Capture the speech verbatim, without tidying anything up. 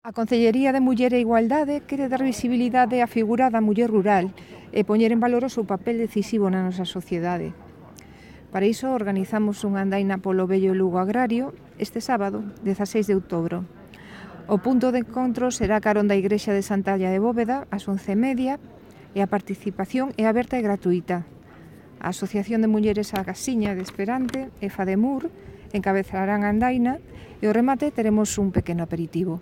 A Concellería de Muller e Igualdade quere dar visibilidade á figura da muller rural e poñer en valor o seu papel decisivo na nosa sociedade. Para iso organizamos unha andaina polo vello Lugo Agrario este sábado, dezaseis de outubro. O punto de encontro será carón da Igrexa de Santalla de Bóveda ás once e media e a participación é aberta e gratuita. A Asociación de Mulleres A Gasiña de Esperante e Fademur encabezarán a andaina e ao remate teremos un pequeno aperitivo.